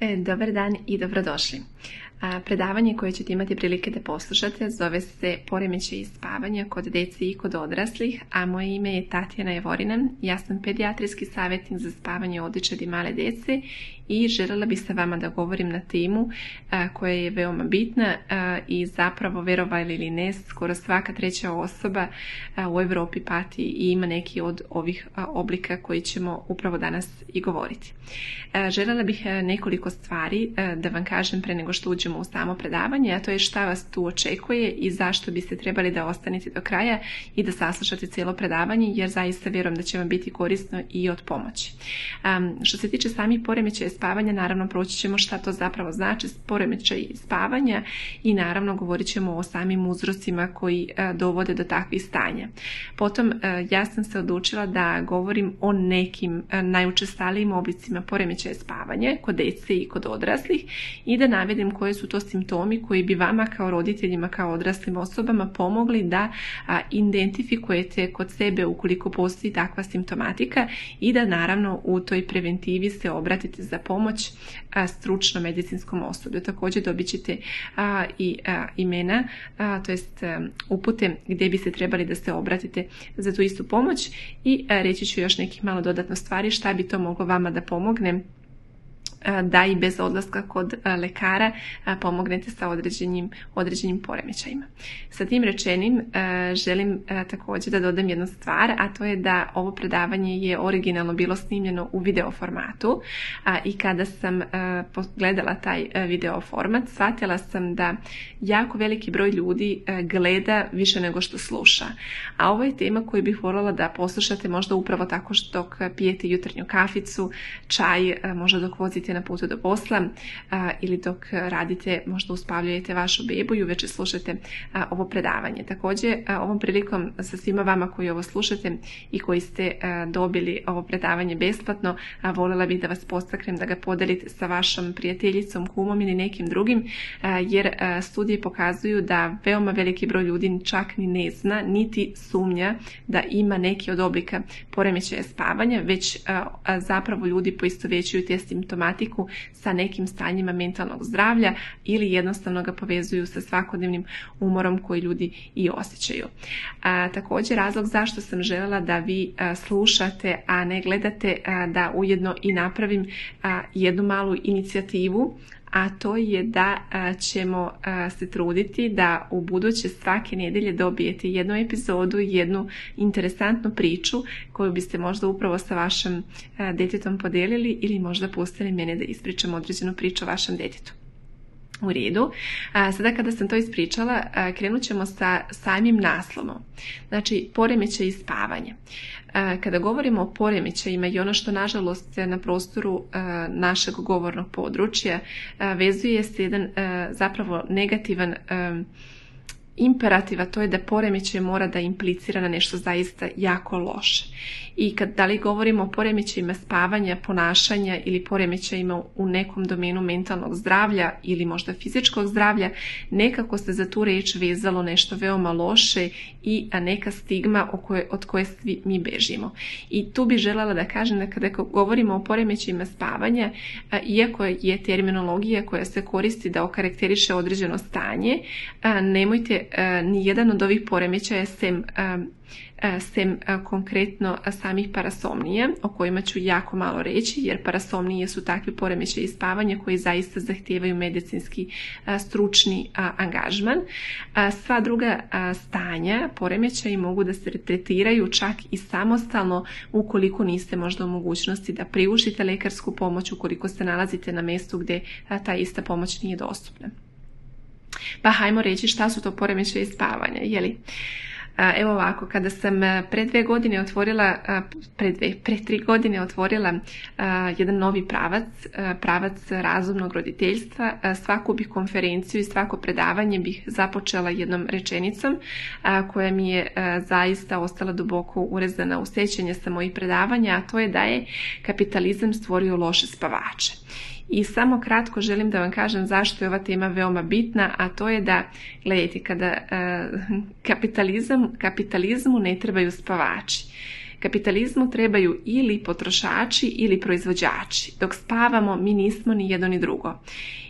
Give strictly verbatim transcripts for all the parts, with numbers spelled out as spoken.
E, dobar dan i dobrodošli. A, predavanje koje ćete imati prilike da poslušate zove se Poremećaji spavanja kod dece i kod odraslih, a moje ime je Tatjana Jevorina. Ja sam pedijatrijski savjetnik za spavanje odličadi i male dece i željela bih sa vama da govorim na temu a, koja je veoma bitna a, i zapravo, verovali ili ne, skoro svaka treća osoba a, u Europi pati i ima neki od ovih a, oblika koji ćemo upravo danas i govoriti. A, željela bih a, nekoliko stvari a, da vam kažem pre nego što uđemo u samo predavanje, a to je šta vas tu očekuje i zašto biste trebali da ostanete do kraja i da saslušate cijelo predavanje, jer zaista vjerujem da će vam biti korisno i od pomoći. Um, što se tiče samih poremećaja spavanja, naravno proći ćemo šta to zapravo znači poremećaj spavanja i naravno govorit ćemo o samim uzrocima koji uh, dovode do takvih stanja. Potom uh, ja sam se odlučila da govorim o nekim uh, najučestalijim oblicima poremećaja spavanja kod dece i kod odraslih i da navedem koje su to simptomi koji bi vama kao roditeljima, kao odraslim osobama pomogli da a, identifikujete kod sebe ukoliko postoji takva simptomatika i da naravno u toj preventivi se obratite za pomoć a, stručno medicinskom osoblju. Također dobit ćete a, i a, imena, a, to jest a, upute gdje bi se trebali da se obratite za tu istu pomoć i a, reći ću još nekih malo dodatno stvari šta bi to moglo vama da pomogne da i bez odlaska kod lekara pomognete sa određenim, određenim poremećajima. Sa tim rečenim želim također da dodam jednu stvar, a to je da ovo predavanje je originalno bilo snimljeno u video formatu i kada sam gledala taj video format, shvatila sam da jako veliki broj ljudi gleda više nego što sluša. A ovo je tema koju bih voljela da poslušate možda upravo tako što dok pijete jutarnju kaficu, čaj, možda dok vozite na putu do posla a, ili dok radite, možda uspavljujete vašu bebu i uveče slušate a, ovo predavanje. Također, a, ovom prilikom sa svima vama koji ovo slušate i koji ste a, dobili ovo predavanje besplatno, a voljela bih da vas postaknem da ga podelite sa vašom prijateljicom, kumom ili nekim drugim, a, jer a, studije pokazuju da veoma veliki broj ljudi čak ni ne zna, niti sumnja da ima neki od oblika poremećaja spavanja, već a, a, zapravo ljudi poistovjećuju te simptomatike sa nekim stanjima mentalnog zdravlja ili jednostavno ga povezuju sa svakodnevnim umorom koji ljudi i osjećaju. A, također razlog zašto sam željela da vi a, slušate, a ne gledate, a, da ujedno i napravim a, jednu malu inicijativu, a to je da a, ćemo a, se truditi da u buduće svake nedjelje dobijete jednu epizodu, jednu interesantnu priču koju biste možda upravo sa vašim a, djetetom podijelili ili možda pustili mene da ispričam određenu priču o vašem djetetu. U redu. A, sada kada sam to ispričala, a, krenut ćemo sa samim naslovom. Znači, poremećaj spavanja. A, kada govorimo o poremećajima i ono što nažalost na prostoru a, našeg govornog područja a, vezuje se jedan a, zapravo negativan a, imperativ, a to je da poremećaj mora da implicira na nešto zaista jako loše. I kad da li govorimo o poremećajima spavanja, ponašanja ili poremećajima u nekom domenu mentalnog zdravlja ili možda fizičkog zdravlja, nekako se za tu riječ vezalo nešto veoma loše i neka stigma od koje svi mi bežimo. I tu bih željela da kažem da kada govorimo o poremećajima spavanja, iako je terminologija koja se koristi da okarakteriše određeno stanje, nemojte ni jedan od ovih poremećaja sem sem konkretno samih parasomnija, o kojima ću jako malo reći, jer parasomnije su takvi poremećaji spavanja koji zaista zahtijevaju medicinski stručni angažman. Sva druga stanja poremećaji mogu da se tretiraju čak i samostalno ukoliko niste možda u mogućnosti da priuštite lekarsku pomoć, ukoliko se nalazite na mjestu gdje ta ista pomoć nije dostupna. Pa hajmo reći šta su to poremećaji spavanja, jeli? Evo ovako, kada sam pre dve godine otvorila, pre, dve, pre tri godine otvorila jedan novi pravac, pravac razumnog roditeljstva, svaku bih konferenciju i svako predavanje bih započela jednom rečenicom koja mi je zaista ostala duboko urezana u sjećanje sa mojih predavanja, a to je da je kapitalizam stvorio loše spavače. I samo kratko želim da vam kažem zašto je ova tema veoma bitna, a to je da, gledajte, kada uh, kapitalizam, kapitalizmu ne trebaju spavači. Kapitalizmu trebaju ili potrošači ili proizvođači. Dok spavamo, mi nismo ni jedno ni drugo.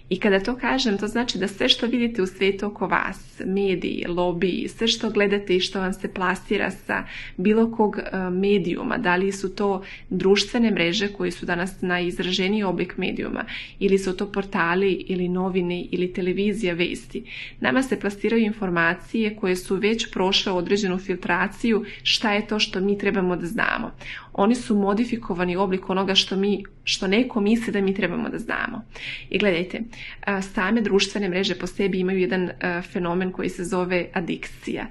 I kada to kažem, to znači da sve što vidite u svijetu oko vas, mediji, lobiji, sve što gledate i što vam se plasira sa bilo kog medijuma, da li su to društvene mreže koji su danas najizraženiji oblik medijuma, ili su to portali ili novine ili televizija, vesti. Nama se plasiraju informacije koje su već prošle određenu filtraciju šta je to što mi trebamo da znamo. Oni su modifikovani oblik onoga što mi, što neko misli da mi trebamo da znamo. I gledajte, same društvene mreže po sebi imaju jedan fenomen koji se zove adikcija.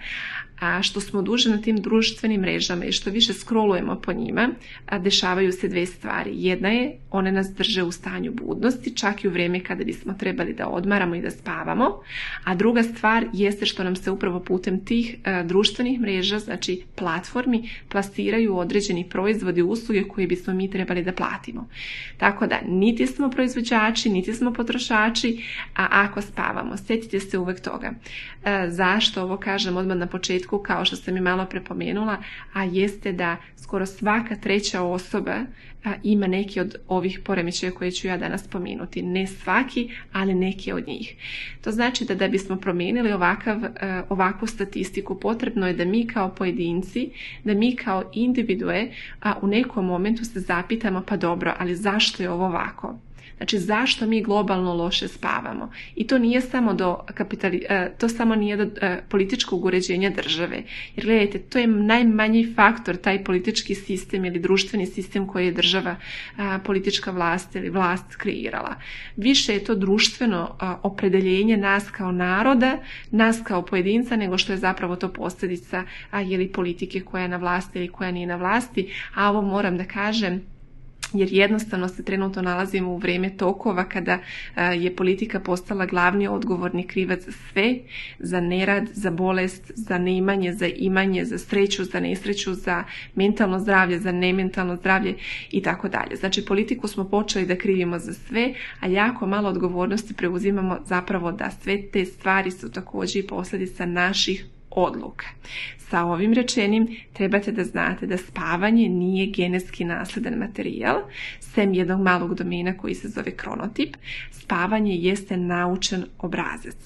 A što smo duže na tim društvenim mrežama i što više scrollujemo po njima, dešavaju se dve stvari. Jedna je, one nas drže u stanju budnosti, čak i u vrijeme kada bismo trebali da odmaramo i da spavamo. A druga stvar jeste što nam se upravo putem tih društvenih mreža, znači platformi, plasiraju određeni proizvodi i usluge koje bismo mi trebali da platimo. Tako da, niti smo proizvođači, niti smo potrošači, a ako spavamo, sjetite se uvek toga. Zašto ovo kažem odmah na početku, kao što sam i malo prepomenula, a jeste da skoro svaka treća osoba a, ima neki od ovih poremećaja koje ću ja danas spomenuti. Ne svaki, ali neki od njih. To znači da da bismo promijenili ovakav, a, ovakvu statistiku, potrebno je da mi kao pojedinci, da mi kao individue a, u nekom momentu se zapitamo, pa dobro, ali zašto je ovo ovako? Znači, zašto mi globalno loše spavamo? I to nije samo do kapitali, to samo nije do političkog uređenja države. Jer gledajte, to je najmanji faktor, taj politički sistem ili društveni sistem koji je država, politička vlast ili vlast kreirala. Više je to društveno opredeljenje nas kao naroda, nas kao pojedinca, nego što je zapravo to posljedica ili politike koja je na vlasti ili koja nije na vlasti. A ovo moram da kažem, jer jednostavno se trenutno nalazimo u vrijeme tokova kada je politika postala glavni odgovorni krivac za sve, za nerad, za bolest, za neimanje, za imanje, za sreću, za nesreću, za mentalno zdravlje, za nementalno zdravlje i tako dalje. Znači, politiku smo počeli da krivimo za sve, a jako malo odgovornosti preuzimamo zapravo da sve te stvari su također i posljedica naših odluka. Sa ovim rečenim trebate da znate da spavanje nije genetski nasledan materijal, sem jednog malog domena koji se zove kronotip. Spavanje jeste naučen obrazac.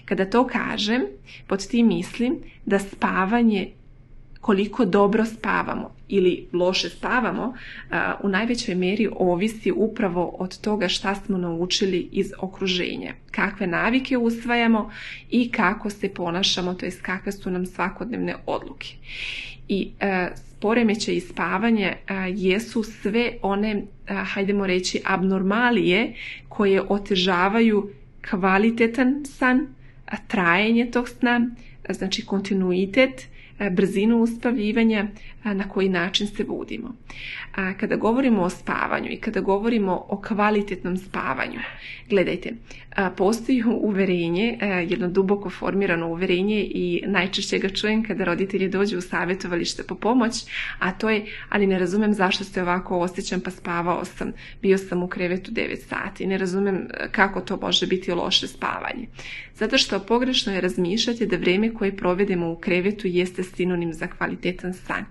Kada to kažem, pod tim mislim da spavanje, koliko dobro spavamo ili loše spavamo, u najvećoj mjeri ovisi upravo od toga šta smo naučili iz okruženja, kakve navike usvajamo i kako se ponašamo, to jest kakve su nam svakodnevne odluke. I poremećaji spavanja jesu sve one, hajdemo reći, abnormalije koje otežavaju kvalitetan san, trajanje tog sna, znači kontinuitet, brzinu uspavljivanja, na koji način se budimo. Kada govorimo o spavanju i kada govorimo o kvalitetnom spavanju, gledajte, postoji uverenje, jedno duboko formirano uverenje i najčešće ga čujem kada roditelji dođu u savjetovalište po pomoć, a to je, ali ne razumem zašto se ovako osjećam, pa spavao sam, bio sam u krevetu devet sati, ne razumem kako to može biti loše spavanje. Zato što pogrešno je razmišljati da vrijeme koje provedemo u krevetu jeste sinonim za kvalitetan san.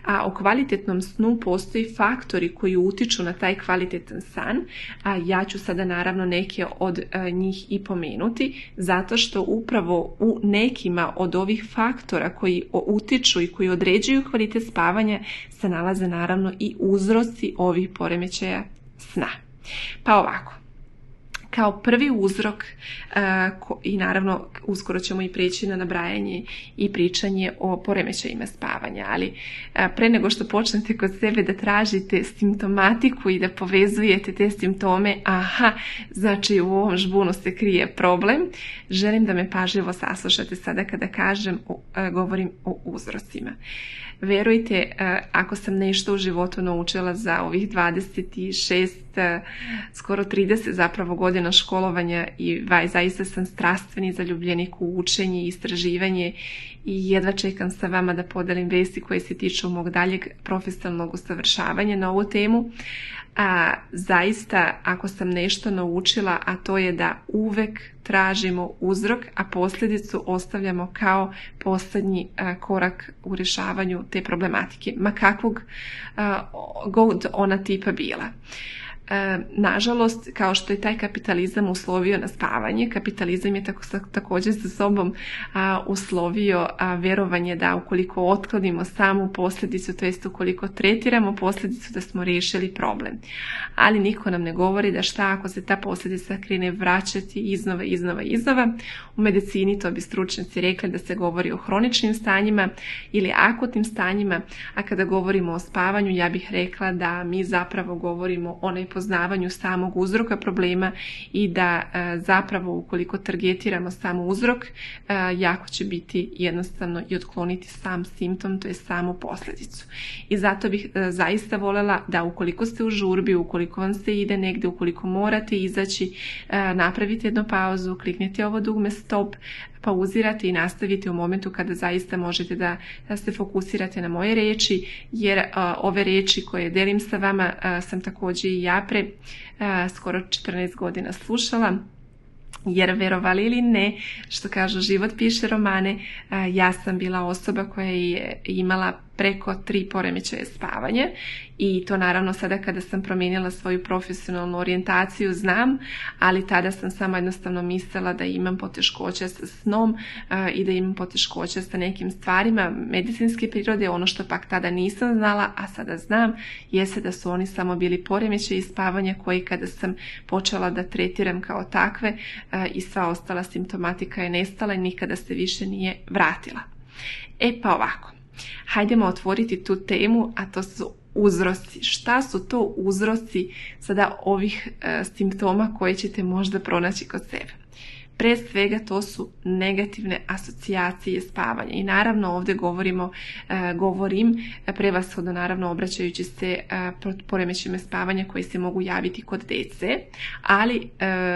A o kvalitetnom snu postoji faktori koji utiču na taj kvalitetan san, a ja ću sada naravno neke od a, njih i pomenuti, zato što upravo u nekima od ovih faktora koji utiču i koji određuju kvalitet spavanja se nalaze naravno i uzroci ovih poremećaja sna. Pa ovako. Kao prvi uzrok, uh, ko, i naravno uskoro ćemo i prijeći na nabrajanje i pričanje o poremećajima spavanja, ali uh, pre nego što počnete kod sebe da tražite simptomatiku i da povezujete te simptome, aha, znači u ovom žbunu se krije problem, želim da me pažljivo saslušate sada kada kažem, uh, govorim o uzrocima. Verujte, uh, ako sam nešto u životu naučila za ovih dvadeset šest skoro trideset zapravo godina školovanja i vaj, zaista sam strastveni zaljubljenik u učenje i istraživanje i jedva čekam sa vama da podelim vesti koje se tiču mog daljeg profesionalnog usavršavanja na ovu temu. A, zaista, ako sam nešto naučila, a to je da uvek tražimo uzrok, a posljedicu ostavljamo kao posljednji a, korak u rješavanju te problematike, ma kakvog a, god ona tipa bila. E, nažalost, kao što je taj kapitalizam uslovio na spavanje, kapitalizam je tako, također sa sobom a, uslovio a, vjerovanje da ukoliko otklonimo samu posljedicu, to jest ukoliko tretiramo posljedicu, da smo riješili problem. Ali niko nam ne govori da šta ako se ta posljedica krene vraćati iznova, iznova, iznova. U medicini to bi stručnjaci rekli da se govori o hroničnim stanjima ili akutnim stanjima, a kada govorimo o spavanju, ja bih rekla da mi zapravo govorimo o nepoznavanju samog uzroka problema i da e, zapravo ukoliko targetiramo samo uzrok, e, jako će biti jednostavno i otkloniti sam simptom, to je samu posljedicu. I zato bih e, zaista voljela da ukoliko ste u žurbi, ukoliko vam se ide negdje, ukoliko morate izaći, e, napravite jednu pauzu, kliknite ovo dugme stop, pauzirate i nastavite u momentu kada zaista možete da, da se fokusirate na moje riječi, jer a, ove riječi koje delim sa vama a, sam također i ja pre a, skoro četrnaest godina slušala. Jer verovali ili ne, što kažu život piše romane, a, ja sam bila osoba koja je imala preko tri poremećaja spavanja i to naravno sada kada sam promijenila svoju profesionalnu orijentaciju znam, ali tada sam samo jednostavno mislila da imam poteškoća sa snom uh, i da imam poteškoća sa nekim stvarima medicinske prirode. Ono što pak tada nisam znala, a sada znam, jeste da su oni samo bili poremećaji spavanja koji kada sam počela da tretiram kao takve uh, i sva ostala simptomatika je nestala i nikada se više nije vratila. E pa ovako. Hajdemo otvoriti tu temu, a to su uzroci. Šta su to uzroci sada ovih e, simptoma koje ćete možda pronaći kod sebe? Pre svega to su negativne asocijacije spavanja i naravno ovdje govorimo, e, govorim prevashodno naravno obraćajući se e, poremećajima spavanja koji se mogu javiti kod djece, ali e,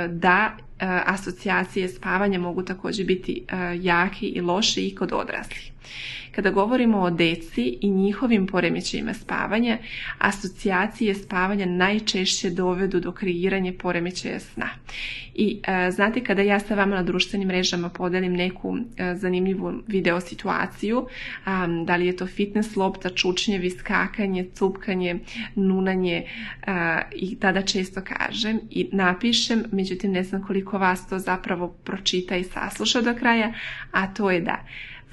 da e, asocijacije spavanja mogu također biti e, jaki i loši i kod odraslih. Kada govorimo o djeci i njihovim poremećajima spavanja, asocijacije spavanja najčešće dovedu do kreiranja poremećaja sna. I e, znate, kada ja sa vama na društvenim mrežama podelim neku e, zanimljivu video situaciju, a, da li je to fitness lopta, čučnjevi, skakanje, cupkanje, nunanje, a, i tada često kažem i napišem, međutim ne znam koliko vas to zapravo pročita i sasluša do kraja, a to je da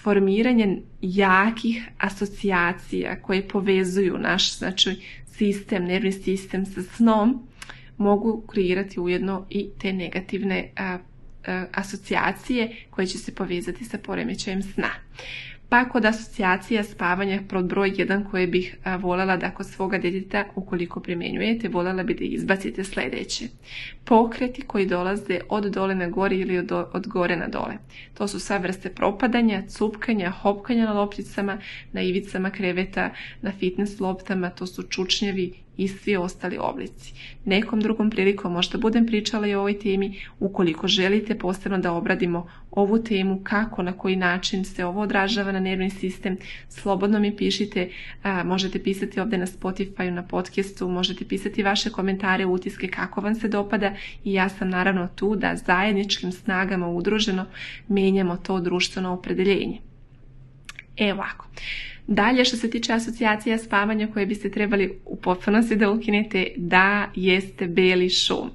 formiranje jakih asocijacija koje povezuju naš znači, sistem, nervni sistem sa snom mogu kreirati ujedno i te negativne a, a, asocijacije koje će se povezati sa poremećajem sna. Pa kod asocijacija spavanja pod broj jedan koje bih a, voljela da kod svoga djeteta ukoliko primjenjujete, voljela bi da izbacite sljedeće. Pokreti koji dolaze od dole na gore ili od, od gore na dole. To su sva vrste propadanja, cupkanja, hopkanja na lopticama, na ivicama kreveta, na fitness loptama, to su čučnjevi i svi ostali oblici. Nekom drugom prilikom možda budem pričala i o ovoj temi, ukoliko želite posebno da obradimo ovu temu, kako, na koji način se ovo odražava na nervni sistem, slobodno mi pišite, a, možete pisati ovdje na Spotify, na podcastu, možete pisati vaše komentare, utiske, kako vam se dopada i ja sam naravno tu da zajedničkim snagama udruženo menjamo to društveno opredeljenje. Evo ovako. Dalje, što se tiče asocijacija spavanja koje biste trebali u potpunosti da ukinete, da jeste beli šum.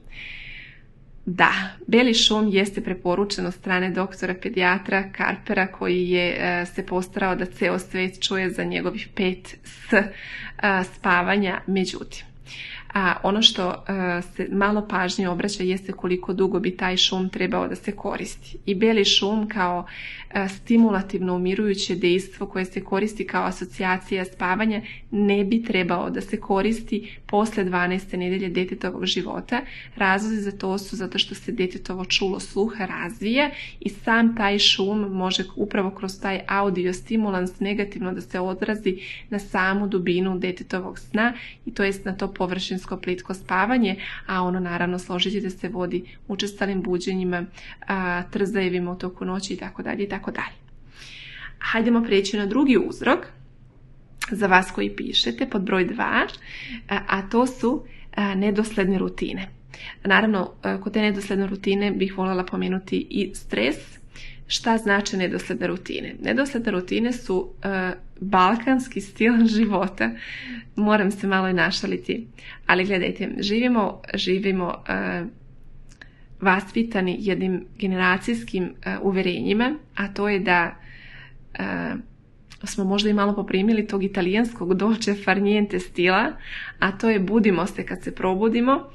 Da, beli šum jeste preporučen od strane doktora pedijatra Karpera koji je e, se postarao da ceo svet čuje za njegovih pet S e, spavanja. Međutim, a ono što uh, se malo pažnje obraća jeste koliko dugo bi taj šum trebao da se koristi. I beli šum kao uh, stimulativno umirujuće dejstvo koje se koristi kao asocijacija spavanja ne bi trebao da se koristi posle dvanaeste nedelje djetetovog života. Razlozi za to su zato što se djetetovo čulo sluha razvija i sam taj šum može upravo kroz taj audio stimulans negativno da se odrazi na samu dubinu djetetovog sna i to jest na to površinsko suštinsko plitko spavanje, a ono naravno složit ćete se vodi učestalim buđenjima, trzajevima u toku noći itd. itd. Hajdemo prijeći na drugi uzrok za vas koji pišete pod broj dva, a to su nedosledne rutine. Naravno, kod te nedosledne rutine bih voljela pomenuti i stres. Šta znači nedosledne rutine? Nedosledne rutine su uh, balkanski stil života. Moram se malo i našaliti. Ali gledajte, živimo, živimo uh, vaspitani jednim generacijskim uh, uverenjima, a to je da uh, smo možda i malo poprimili tog italijanskog dolce far niente stila, a to je budimo se kad se probudimo,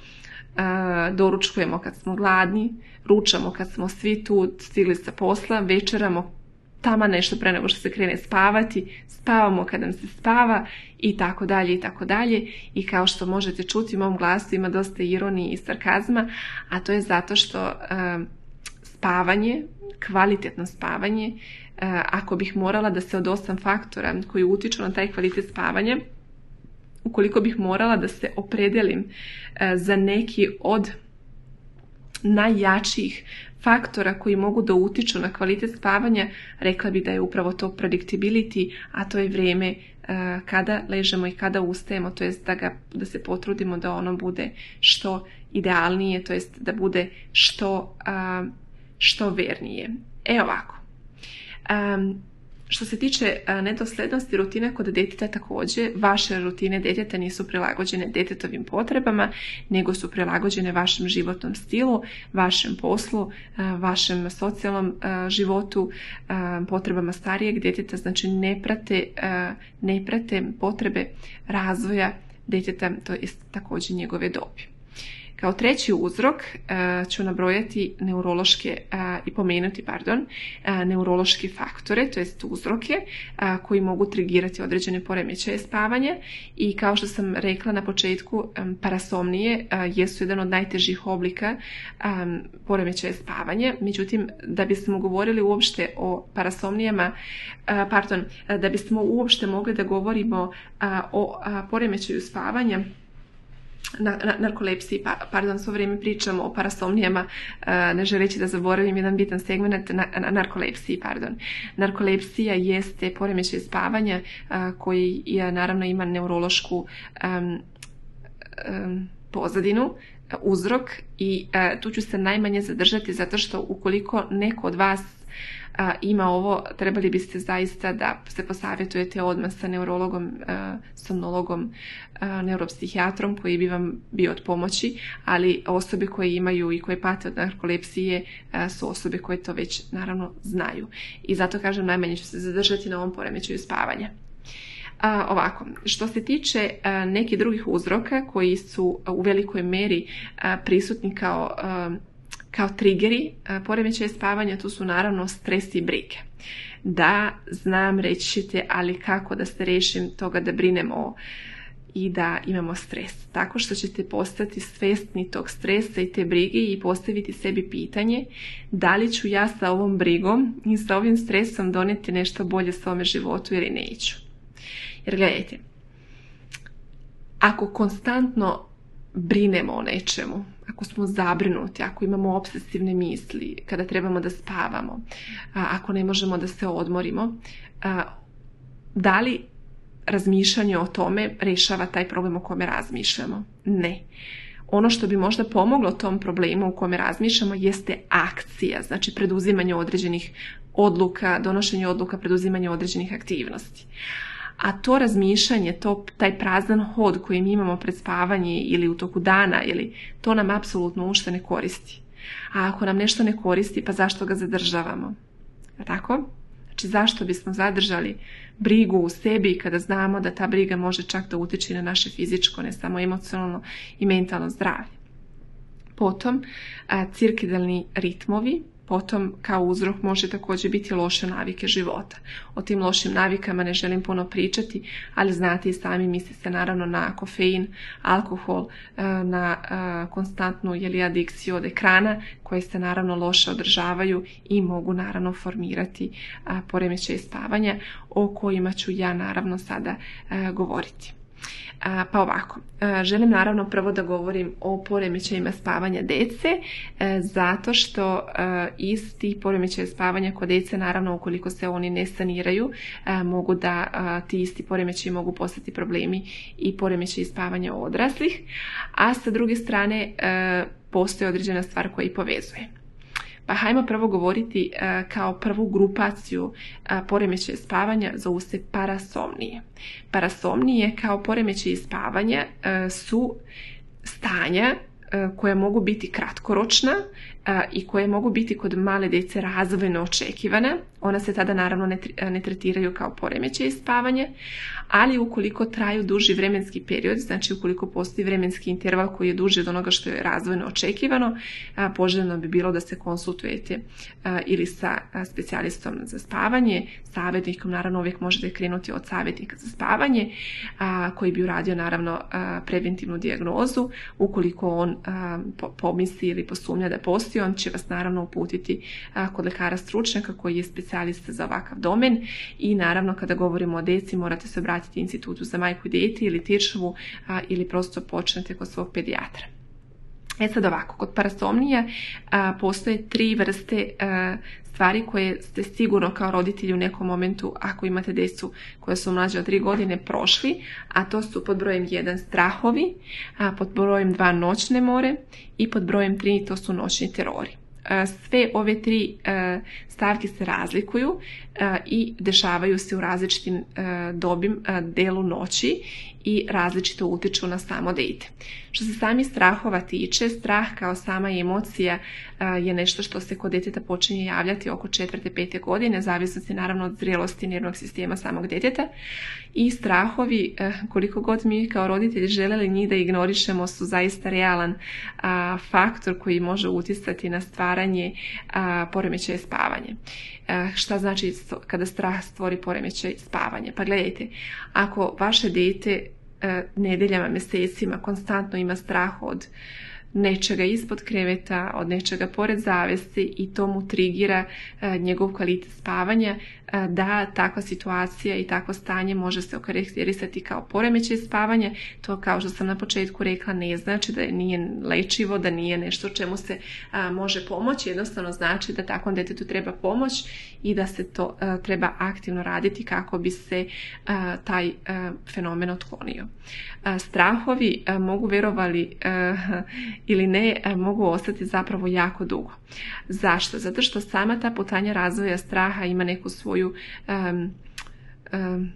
doručkujemo kad smo gladni, ručamo kad smo svi tu stigli sa posla, večeramo tamo nešto pre nego što se krene spavati, spavamo kad nam se spava i tako dalje i tako dalje. I kao što možete čuti u mom glasu ima dosta ironije i sarkazma, a to je zato što uh, spavanje, kvalitetno spavanje, uh, ako bih morala da se od osam faktora koji utiču na taj kvalitet spavanja, ukoliko bih morala da se opredelim za neki od najjačijih faktora koji mogu da utiču na kvalitet spavanja, rekla bih da je upravo to predictability, a to je vrijeme kada ležemo i kada ustajemo, to jest da, ga, da se potrudimo da ono bude što idealnije, to jest da bude što, što vernije. E ovako. Um, Što se tiče nedoslednosti rutina kod djeteta također, vaše rutine djeteta nisu prilagođene djetetovim potrebama, nego su prilagođene vašem životnom stilu, vašem poslu, vašem socijalnom životu, potrebama starijeg djeteta, znači ne prate, ne prate potrebe razvoja djeteta, to je također njegove dobi. Kao treći uzrok uh, ću nabrojati neurološke uh, i pomenuti, pardon, uh, neurološke faktore, to jest uzroke uh, koji mogu trigirati određene poremećaje spavanja i kao što sam rekla na početku, um, parasomnije uh, jesu jedan od najtežih oblika um, poremećaja spavanja. Međutim, da bismo govorili uopšte o parasomnijama, uh, pardon, uh, da bismo uopšte mogli da govorimo uh, o uh, poremećaju spavanja, Na, na, narkolepsiji, pa, pardon, svo vrijeme pričamo o parasomnijama, ne želeći da zaboravim jedan bitan segment, na, na, narkolepsiji, pardon. Narkolepsija jeste poremećaj spavanja koji je, naravno ima neurološku um, um, pozadinu, uzrok i uh, tu ću se najmanje zadržati zato što ukoliko neko od vas a, ima ovo, trebali biste zaista da se posavjetujete odmah sa neurologom, a, somnologom, a, neuropsihijatrom koji bi vam bio od pomoći, ali osobe koje imaju i koje pate od narkolepsije a, su osobe koje to već naravno znaju. I zato kažem, najmanje ću se zadržati na ovom poremećaju spavanja. A, ovako, što se tiče a, nekih drugih uzroka koji su a, u velikoj meri a, prisutni kao a, kao triggeri poremećaja spavanja, tu su naravno stres i brige. Da, znam, reći ćete, ali kako da se rešim toga da brinemo i da imamo stres? Tako što ćete postati svjesni tog stresa i te brige i postaviti sebi pitanje da li ću ja sa ovom brigom i sa ovim stresom doneti nešto bolje svome životu ili neću. Jer gledajte, ako konstantno brinemo o nečemu, ako smo zabrinuti, ako imamo obsesivne misli, kada trebamo da spavamo, ako ne možemo da se odmorimo, da li razmišljanje o tome rešava taj problem o kome razmišljamo? Ne. Ono što bi možda pomoglo tom problemu o kome razmišljamo jeste akcija, znači preduzimanje određenih odluka, donošenje odluka, preduzimanje određenih aktivnosti. A to razmišljanje, to, taj prazan hod koji mi imamo pred spavanje ili u toku dana, ili, to nam apsolutno uopšte ne koristi. A ako nam nešto ne koristi, pa zašto ga zadržavamo? Tako? Znači, zašto bismo zadržali brigu u sebi kada znamo da ta briga može čak da utiče na naše fizičko, ne samo emocionalno i mentalno zdravlje? Potom, cirkadijalni ritmovi. Potom kao uzrok može također biti loše navike života. O tim lošim navikama ne želim puno pričati, ali znate i sami, misli se naravno na kofein, alkohol, na konstantnu jeli, adikciju od ekrana koje se naravno loše održavaju i mogu naravno formirati poremećaj spavanja o kojima ću ja naravno sada govoriti. Pa ovako, želim naravno prvo da govorim o poremećajima spavanja dece, zato što iz tih poremećaja spavanja kod dece, naravno ukoliko se oni ne saniraju, mogu da ti isti poremećaji mogu postati problemi i poremećaji spavanja odraslih, a sa druge strane postoji određena stvar koja ih povezuje. Pa hajmo prvo govoriti uh, kao prvu grupaciju uh, poremećaja spavanja zovu se parasomnije. Parasomnije kao poremećaji spavanja uh, su stanja uh, koje mogu biti kratkoročna uh, i koje mogu biti kod male djece razvojno očekivana. Ona se tada naravno ne, ne tretiraju kao poremećaji spavanja, ali ukoliko traju duži vremenski period, znači ukoliko postoji vremenski interval koji je duži od onoga što je razvojno očekivano, poželjno bi bilo da se konsultujete ili sa specijalistom za spavanje, savjetnikom, naravno uvijek možete krenuti od savjetnika za spavanje, koji bi uradio naravno preventivnu dijagnozu. Ukoliko on pomisli ili posumnja da postoji, on će vas naravno uputiti kod lekara stručnjaka koji je specijalista za ovakav domen i naravno kada govorimo o deci morate se obratiti institutu za majku i dijete ili Tiršovu ili prosto počnete kod svog pedijatra. E sad ovako, kod parasomnija a, postoje tri vrste a, stvari koje ste sigurno kao roditelji u nekom momentu, ako imate djecu koje su mlađe od tri godine, prošli, a to su pod brojem jedan strahovi, a pod brojem dva noćne more i pod brojem tri to su noćni terori. Sve ove tri stavke se razlikuju i dešavaju se u različitim dobim delu noći i različito utječu na samo dijete. Što se samih strahova tiče, strah kao sama emocija je nešto što se kod djeteta počinje javljati oko četvrte, pete godine, zavisno se naravno od zrelosti nervnog sistema samog djeteta. I strahovi, koliko god mi kao roditelji željeli njih da ignorišemo, su zaista realan a, faktor koji može utjecati na stvaranje a, poremećaja spavanja. A, šta znači kada strah stvori poremećaj spavanja? Pa gledajte, ako vaše dijete a, nedeljama, mjesecima konstantno ima strah od nečega ispod kreveta, od nečega pored zavese i to mu trigira a, njegov kvalitet spavanja, a, da takva situacija i takvo stanje može se okarakterisati kao poremećaj spavanja. To, kao što sam na početku rekla, ne znači da nije lečivo, da nije nešto čemu se a, može pomoći, jednostavno znači da takvom djetetu treba pomoć i da se to a, treba aktivno raditi kako bi se a, taj a, fenomen otklonio. A, strahovi a, mogu, verovali a, ili ne, mogu ostati zapravo jako dugo. Zašto? Zato što sama ta putanja razvoja straha ima neku svoju, um, um,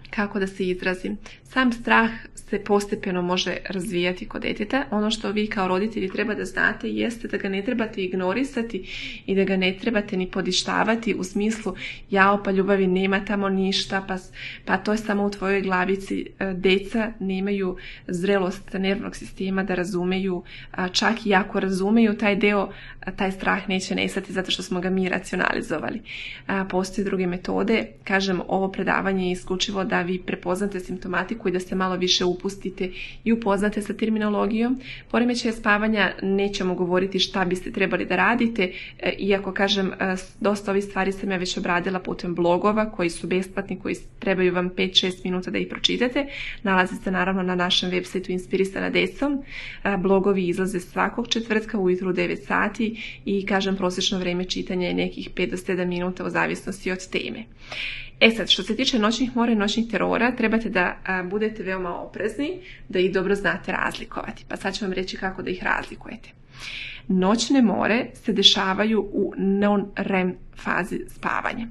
kako da se izrazim, sam strah se postepeno može razvijati kod djeteta. Ono što vi kao roditelji treba da znate jeste da ga ne trebate ignorisati i da ga ne trebate ni podištavati u smislu jao pa ljubavi nema tamo ništa, pa, pa to je samo u tvojoj glavici. Deca nemaju zrelost nervnog sistema da razumeju, čak i ako razumeju taj deo, taj strah neće nestati zato što smo ga mi racionalizovali. Postoje druge metode, kažem, ovo predavanje je isključivo da vi prepoznate simptomatiku i da se malo više upustite i upoznate sa terminologijom. Poremećaja spavanja nećemo govoriti šta biste trebali da radite, iako kažem dosta ovih stvari sam ja već obradila putem blogova koji su besplatni, koji trebaju vam pet do šest minuta da ih pročitate. Nalazi se naravno na našem web sajtu Inspirisana decom. Blogovi izlaze svakog četvrtka ujutru u devet sati i kažem prosječno vrijeme čitanja je nekih pet do sedam minuta u zavisnosti od teme. E sad, što se tiče noćnih mora i noćnih terora, trebate da a, budete veoma oprezni, da ih dobro znate razlikovati. Pa sad ću vam reći kako da ih razlikujete. Noćne more se dešavaju u non-rem fazi spavanja.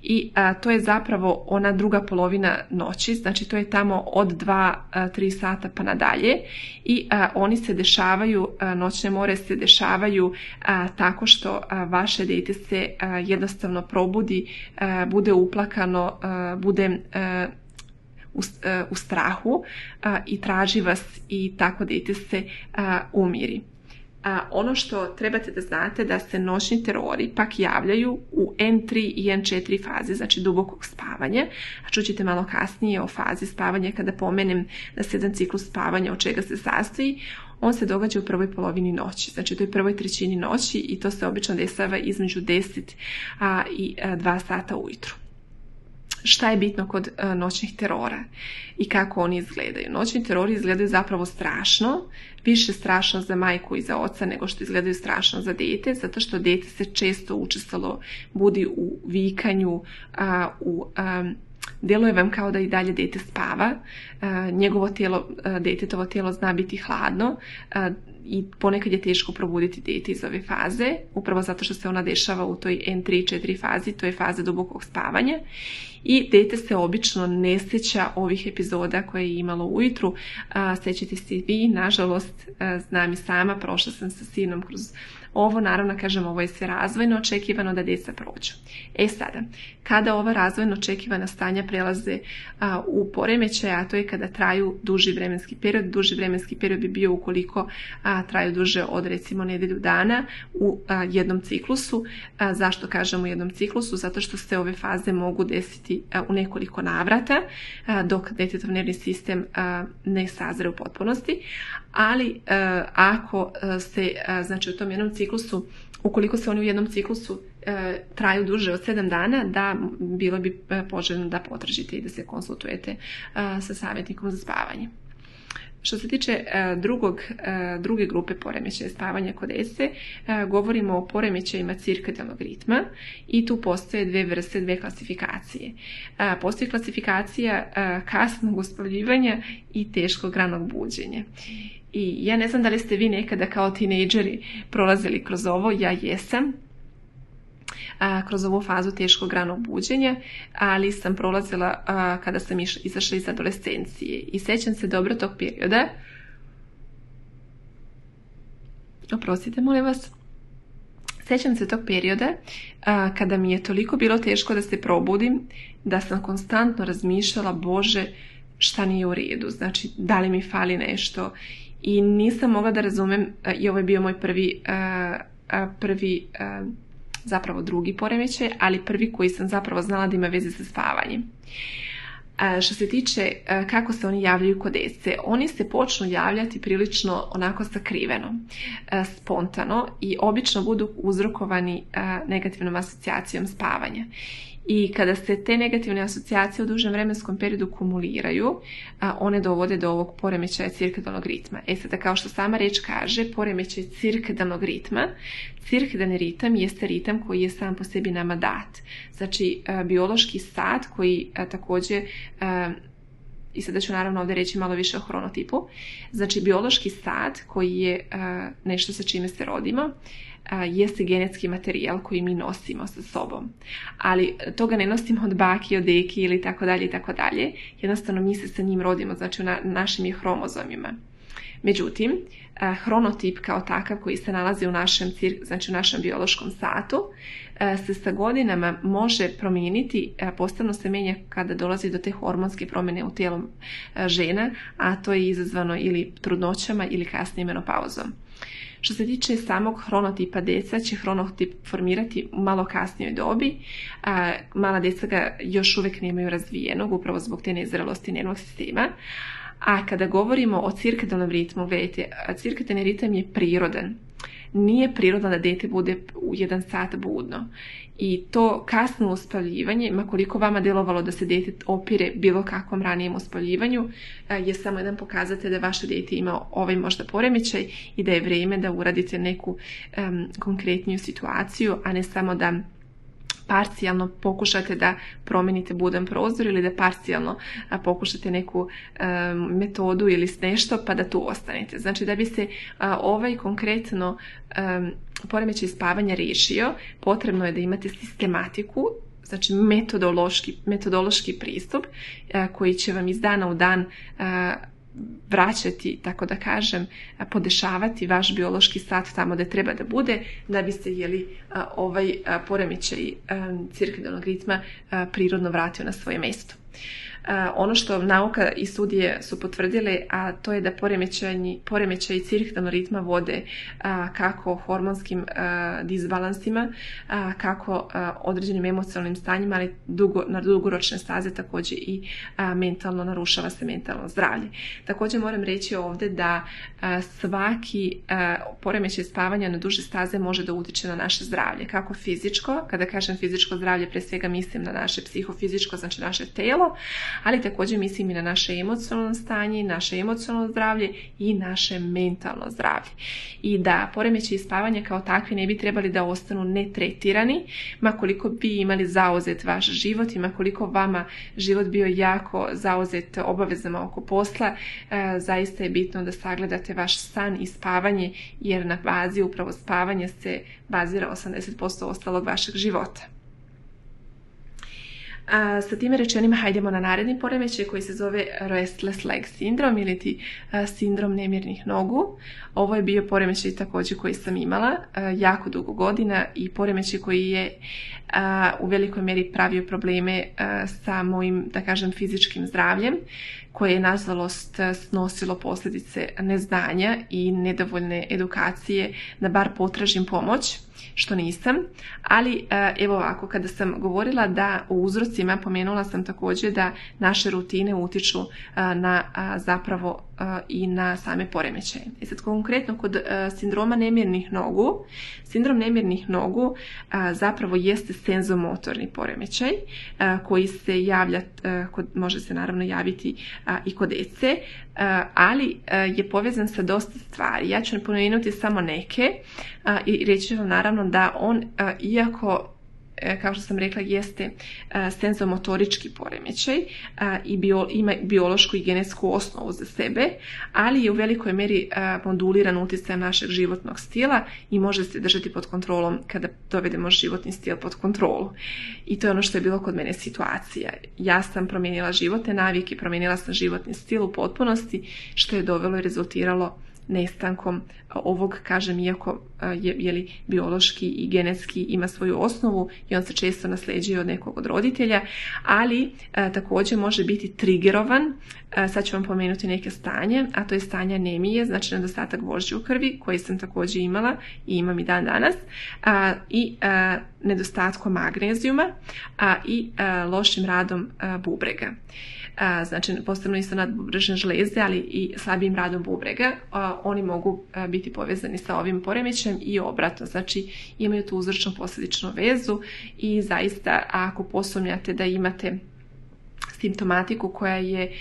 I a, to je zapravo ona druga polovina noći, znači to je tamo od dva do tri sata pa nadalje. I a, oni se dešavaju, a, noćne more se dešavaju a, tako što a, vaše dijete se a, jednostavno probudi, a, bude uplakano, a, bude a, u, a, u strahu a, i traži vas i tako dijete se a, umiri. A ono što trebate da znate da se noćni terori pak javljaju u en tri i en četiri fazi, znači dubokog spavanja, a čućete malo kasnije o fazi spavanja kada pomenem da se jedan ciklus spavanja od čega se sastoji. On se događa u prvoj polovini noći, znači u toj prvoj trećini noći i to se obično dešava između deset a, i a, dva sata ujutru. šta je bitno kod uh, noćnih terora i kako oni izgledaju. Noćni terori izgledaju zapravo strašno, više strašno za majku i za oca nego što izgledaju strašno za dete, zato što dete se često učestalo budi u vikanju, uh, u um, djeluje vam kao da i dalje dete spava, uh, njegovo tijelo, uh, detetovo tijelo zna biti hladno uh, i ponekad je teško probuditi dete iz ove faze, upravo zato što se ona dešava u toj en tri četiri fazi, to je faza dubokog spavanja. I dete se obično ne sjeća ovih epizoda koje je imalo ujutru. Sjećate se i vi, nažalost, znam i sama, prošla sam sa sinom kroz ovo, naravno kažem, ovo je sve razvojno očekivano da djeca prođu. E sada, kada ova razvojno očekivana stanja prelaze a, u poremećaj, a to je kada traju duži vremenski period, duži vremenski period bi bio ukoliko a, traju duže od recimo nedjelju dana u a, jednom ciklusu. A, zašto kažem u jednom ciklusu? Zato što se ove faze mogu desiti a, u nekoliko navrata a, dok djetetov nervni sistem a, ne sazre u potpunosti, ali a, ako se a, znači u tom jednom ciklusu, ukoliko se oni u jednom ciklusu e, traju duže od sedam dana, da bilo bi poželjno da potražite i da se konsultujete e, sa savjetnikom za spavanje. Što se tiče e, drugog, e, druge grupe poremećaja spavanja kod djece, e, govorimo o poremećajima cirkadijalnog ritma i tu postoje dve vrste, dve klasifikacije. E, postoji klasifikacija e, kasnog uspavljivanja i teškog ranog buđenja. I ja ne znam da li ste vi nekada kao tinejdžeri prolazili kroz ovo, ja jesam, a, kroz ovu fazu teškog ranog buđenja, ali sam prolazila a, kada sam iš, izašla iz adolescencije. I sjećam se dobro tog perioda, oprostite molim vas, sjećam se tog perioda a, kada mi je toliko bilo teško da se probudim, da sam konstantno razmišljala, Bože, šta nije u redu, znači da li mi fali nešto. I nisam mogla da razumem, i ovo je bio moj prvi, prvi zapravo drugi poremećaj, ali prvi koji sam zapravo znala da ima veze sa spavanjem. Što se tiče kako se oni javljaju kod djece, oni se počnu javljati prilično onako sakriveno, spontano i obično budu uzrokovani negativnom asocijacijom spavanja. I kada se te negativne asocijacije u dužem vremenskom periodu kumuliraju, a, one dovode do ovog poremećaja cirkadijalnog ritma. E sada, kao što sama riječ kaže, poremećaj cirkadijalnog ritma, cirkadijalni ritam jeste ritam koji je sam po sebi nama dat. Znači, a, biološki sat koji a, također, a, i sada ću naravno ovdje reći malo više o hronotipu, znači biološki sat koji je a, nešto sa čime se rodimo, jeste genetski materijal koji mi nosimo sa sobom. Ali toga ne nosimo od baki, od deki ili tako dalje i tako dalje. Jednostavno mi se sa njim rodimo, znači u na, našim je hromozomima. Međutim, hronotip kao takav koji se nalazi u našem, znači u našem biološkom satu se sa godinama može promijeniti, posebno se menja kada dolazi do te hormonske promjene u tijelu žena, a to je izazvano ili trudnoćama ili kasnije menopauzom. Što se tiče samog hronotipa djeca, će hronotip formirati u malo kasnijoj dobi. A, mala djeca ga još uvijek nemaju razvijenog, upravo zbog te nezrelosti nervnog sistema. A kada govorimo o cirkadijalnom ritmu, gledajte, cirkadijalni ritam je prirodan. Nije prirodno da dijete bude u jedan sat budno. I to kasno uspavljivanje, ma koliko vama djelovalo da se dijete opire bilo kakvom ranijem uspavljivanju, je samo jedan pokazatelj da vaše dijete ima ovaj možda poremećaj i da je vrijeme da uradite neku um, konkretniju situaciju, a ne samo da parcijalno pokušate da promijenite budan prozor ili da parcijalno a, pokušate neku a, metodu ili nešto pa da tu ostanete. Znači da bi se a, ovaj konkretno a, poremećaj spavanja riješio, potrebno je da imate sistematiku, znači metodološki, metodološki pristup a, koji će vam iz dana u dan a, vraćati, tako da kažem, podešavati vaš biološki sat tamo da treba da bude, da bi se jeli, ovaj poremećaj cirkadijalnog ritma prirodno vratio na svoje mjesto. ono što nauka i studije su potvrdile, a to je da poremećaji cirkadijalnog ritma vode kako hormonskim disbalansima, kako određenim emocionalnim stanjima, ali dugo, na dugoročne staze također i mentalno narušava se mentalno zdravlje. Također moram reći ovdje da svaki poremećaj spavanja na duže staze može da utiče na naše zdravlje, kako fizičko, kada kažem fizičko zdravlje, pre svega mislim na naše psihofizičko, znači naše telo, ali također mislim i na naše emocionalno stanje, naše emocionalno zdravlje i naše mentalno zdravlje. I da poremećaji spavanja kao takvi ne bi trebali da ostanu netretirani, ma koliko bi imali zauzet vaš život i ma koliko vama život bio jako zauzet obavezama oko posla, e, zaista je bitno da sagledate vaš san i spavanje, jer na bazi upravo spavanja se bazira osamdeset posto ostalog vašeg života. A, sa time rečenima hajdemo na naredni poremećaj koji se zove restless leg sindrom ili ti a, sindrom nemirnih nogu. Ovo je bio poremećaj također koji sam imala a, jako dugo godina i poremećaj koji je a, u velikoj mjeri pravio probleme a, sa mojim, da kažem, fizičkim zdravljem, koje je nažalost snosilo posljedice neznanja i nedovoljne edukacije da bar potražim pomoć, što nisam. Ali evo ovako, kada sam govorila da o uzrocima, pomenula sam također da naše rutine utiču na zapravo i na same poremećaje. I sad konkretno kod sindroma nemirnih nogu, sindrom nemirnih nogu zapravo jeste senzomotorni poremećaj koji se javlja, može se naravno javiti i kod dece, ali je povezan sa dosta stvari. Ja ću pomenuti samo neke i reći vam naravno da on, iako kao što sam rekla, jeste senzomotorički poremećaj i bio, ima biološku i genetsku osnovu za sebe, ali je u velikoj meri moduliran utjecajem našeg životnog stila i može se držati pod kontrolom kada dovedemo životni stil pod kontrolu. I to je ono što je bilo kod mene situacija. Ja sam promijenila životne navike, promijenila sam životni stil u potpunosti, što je dovelo i rezultiralo nestankom ovog, kažem, iako je, je li biološki i genetski ima svoju osnovu i on se često nasljeđuje od nekog od roditelja, ali a, također može biti trigerovan. A, sad ću vam pomenuti neke stanje, a to je stanje anemije, znači nedostatak vožđe u krvi, koji sam također imala i imam i dan danas, a, i a, nedostatkom magnezijuma, a i a, lošim radom a, bubrega. A, znači posebno isto nadbubrežne žleze, ali i slabijim radom bubrega, a, oni mogu a, biti povezani sa ovim poremećajem i obratno, znači imaju tu uzročno posljedičnu vezu i zaista ako posumnjate da imate simptomatiku koja je,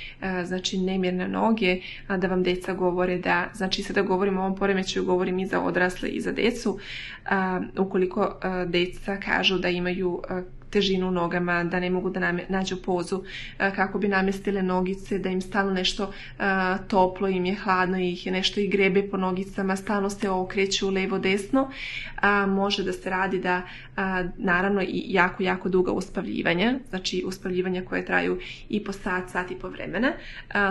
znači, nemirne noge, da vam deca govore da, znači sada govorim o ovom poremećaju, govorim i za odrasle i za decu, ukoliko deca kažu da imaju težinu u nogama, da ne mogu da nađu pozu kako bi namjestile nogice, da im stalno nešto toplo, im je hladno, ih je nešto i grebe po nogicama, stalno se okreću levo desno, može da se radi da naravno i jako, jako duga uspavljivanja, znači uspavljivanja koje traju i po sat, sat i po vremena.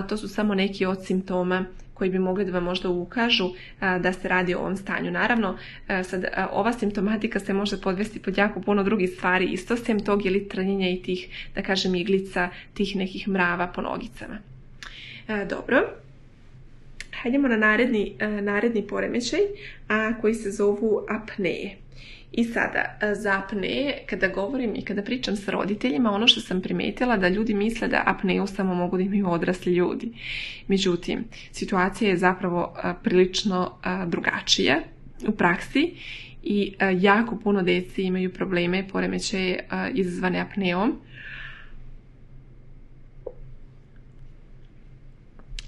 To su samo neki od simptoma koji bi mogli da vam možda ukažu a, da se radi o ovom stanju. Naravno, a, sad, a, ova simptomatika se može podvesti pod jako puno drugih stvari, isto sem tog ili trnjenja i tih, da kažem, iglica, tih nekih mrava po nogicama. A, dobro. Hajdemo na naredni, a, naredni poremećaj, a, koji se zovu apneje. I sada, za apneje, kada govorim i kada pričam sa roditeljima, ono što sam primijetila da ljudi misle da apneju samo mogu da imaju odrasli ljudi. Međutim, situacija je zapravo prilično drugačija u praksi i jako puno deci imaju probleme, poremećaje izazvane apneom.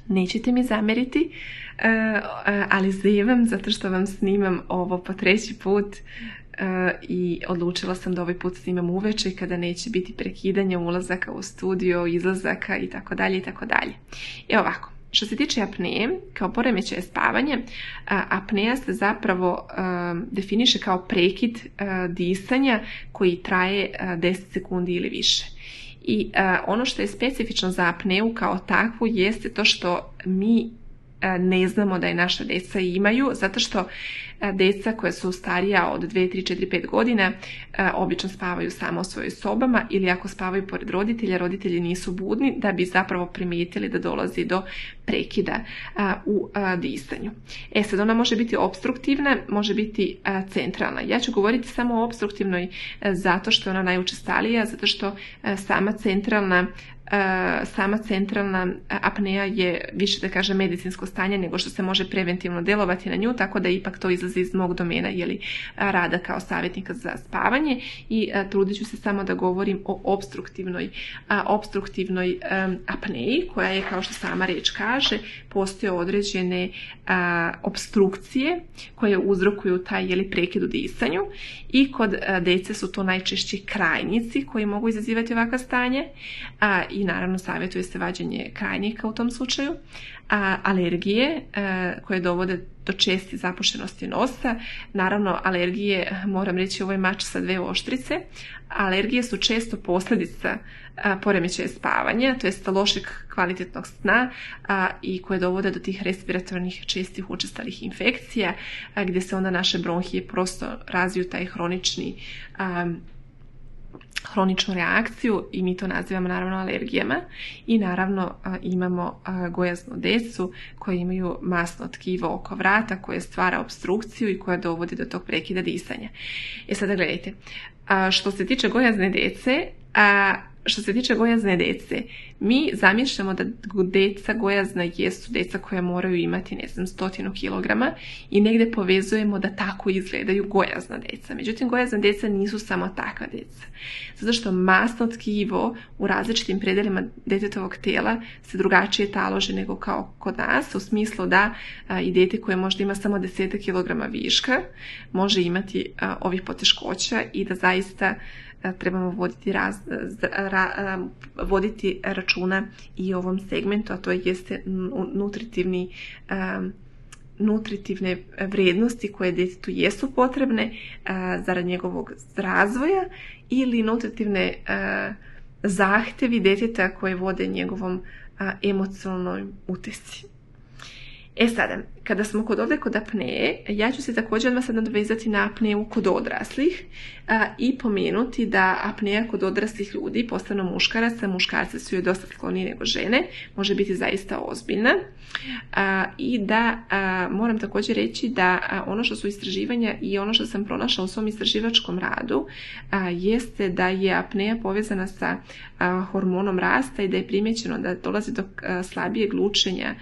Nećete mi zameriti, ali zevam zato što vam snimam ovo po treći put i odlučila sam da ovaj put snimam uveče kada neće biti prekidanja ulazaka u studio, izlazaka i tako dalje i tako dalje. Evo ovako, što se tiče apneje, kao poremećaja spavanja, apneja se zapravo definiše kao prekid disanja koji traje deset sekundi ili više. I ono što je specifično za apneju kao takvu jeste to što mi ne znamo da je naša deca imaju, zato što deca koja su starija od dve, tri, četiri, pet godina obično spavaju samo u svojoj sobama ili ako spavaju pored roditelja, roditelji nisu budni da bi zapravo primijetili da dolazi do prekida u disanju. E sad, ona može biti opstruktivna, može biti centralna. Ja ću govoriti samo o opstruktivnoj zato što je ona najučestalija, zato što sama centralna sama centralna apnea je više, da kažem, medicinsko stanje nego što se može preventivno djelovati na nju, tako da ipak to izlazi iz mog domena jeli, rada kao savjetnika za spavanje i a, trudit ću se samo da govorim o opstruktivnoj, a, opstruktivnoj a, apneji koja je, kao što sama riječ kaže, postoje određene a, obstrukcije koje uzrokuju taj jeli, prekid u disanju i kod a, djece su to najčešće krajnici koji mogu izazivati ovakva stanje a, i naravno savjetuje se vađenje krajnika u tom slučaju, a, alergije a, koje dovode do česte zapušenosti nosa. Naravno, alergije, moram reći, ovo je mač sa dve oštrice. Alergije su često posljedica poremećaja spavanja, to jest lošeg kvalitetnog sna a, i koje dovode do tih respiratornih čestih učestalih infekcija, a, gdje se onda naše bronhije prosto razviju taj hronični a, hroničnu reakciju i mi to nazivamo naravno alergijama i naravno a, imamo a, gojaznu decu koji imaju masno tkivo oko vrata koje stvara obstrukciju i koja dovodi do tog prekida disanja. E sada gledajte, a, što se tiče gojazne dece, a, što se tiče gojazne dece, mi zamišljamo da deca gojazna jesu deca koja moraju imati, ne znam, stotinu kilograma i negdje povezujemo da tako izgledaju gojazna deca. Međutim, gojazna deca nisu samo takva deca. Zato što masno tkivo u različitim predelima djetetovog tijela se drugačije taloži nego kao kod nas, u smislu da a, i dijete koje možda ima samo deset kilograma viška može imati a, ovih poteškoća i da zaista trebamo voditi, raz, ra, voditi računa i o ovom segmentu, a to jeste nutritivni, um, nutritivne vrijednosti koje djetetu jesu potrebne uh, zarad njegovog razvoja ili nutritivne uh, zahtjevi djeteta koje vode njegovom uh, emocionalnoj utjeci. E sada, kada smo kod ovdje kod apneje, ja ću se također odmah sad nadovezati na apneju kod odraslih a, i pomenuti da apneja kod odraslih ljudi, posebno muškaraca, muškarci su joj dosta skloniji nego žene, može biti zaista ozbiljna. A, I da a, moram također reći da a, ono što su istraživanja i ono što sam pronašla u svom istraživačkom radu a, jeste da je apneja povezana sa a, hormonom rasta i da je primjećeno da dolazi do a, slabijeg lučenja,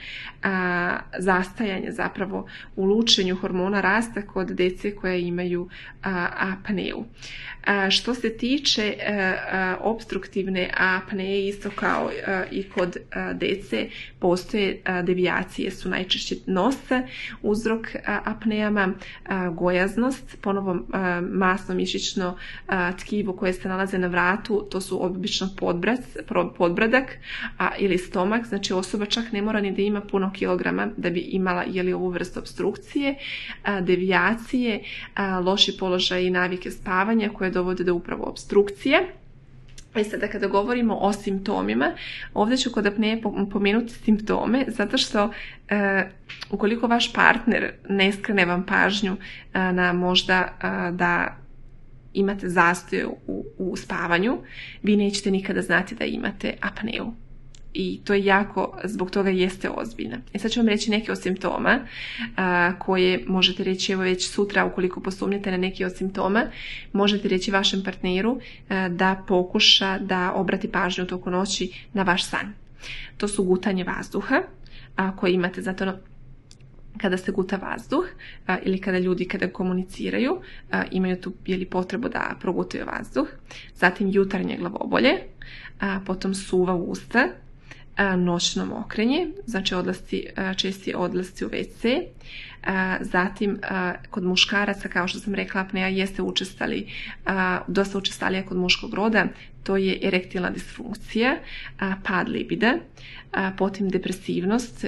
a, zastajanja zapravo u lučenju hormona rasta kod djece koja imaju a, apneju. A, što se tiče a, a, obstruktivne apneje, isto kao a, i kod a, djece, postoje a, devijacije, su najčešće nosa, uzrok a, apnejama, a, gojaznost, ponovo a, masno mišićno a, tkivo koje se nalaze na vratu, to su obično podbrac, podbradak a, ili stomak, znači osoba čak ne mora ni da ima puno kilograma da bi imala jeli, ovu vrstu obstrukcije, a, devijacije, a, loši položaj i navike spavanja koje dovode do upravo obstrukcije. I sada kada govorimo o simptomima, ovdje ću kod apneje pomenuti simptome, zato što e, ukoliko vaš partner ne skrene vam pažnju e, na možda e, da imate zastoj u, u spavanju, vi nećete nikada znati da imate apneju. I to je jako, zbog toga jeste ozbiljna. I sad ću vam reći neke od simptoma a, koje možete reći evo već sutra ukoliko posumnjate na neki od simptoma. Možete reći vašem partneru a, da pokuša da obrati pažnju u toku noći na vaš san. To su gutanje vazduha a, koje imate zato kada se guta vazduh a, ili kada ljudi kada komuniciraju a, imaju tu jeli, potrebu da progutaju vazduh. Zatim jutarnje glavobolje, a, potom suva usta, noćno mokrenje, znači odlasci, česti odlasci u ve ce. Zatim, kod muškaraca, kao što sam rekla, apneja jeste učestali, dosta učestalija kod muškog roda, to je erektilna disfunkcija, pad libida, potom depresivnost,